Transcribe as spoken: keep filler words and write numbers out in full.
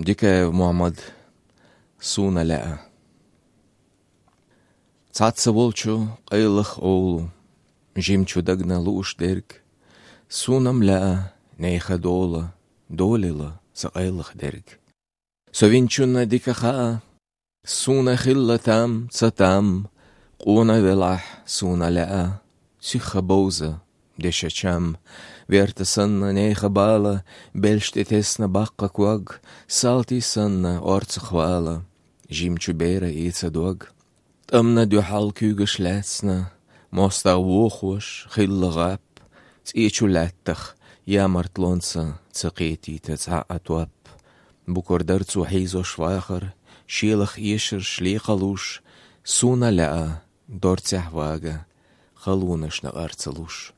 Dike Muhammad Suna Lea Tsatsa volchu qaylach oulu Jimchu dagna luush derg Sunam Lea Neicha dola Dolila sa qaylach derg Sovinchuna dika khaa Suna khilla tam Tsatam Quna velah Suna Lea Sikha boza Desha cham Verta sanna neicha bala Belshtetesna bakka kwag Salti sanna ortsa khwala Jimchu bera iitsa dwag Tamna duhal kuga schlätsna Mosta wochwash khilla gap Tsichu lattach Jamart lonsa Tsaqeti tatsa atwap Bukordar zu heizo schwacher Schielach ischer schlechalush Suna laa Dortzah waga Khalunash na arzalush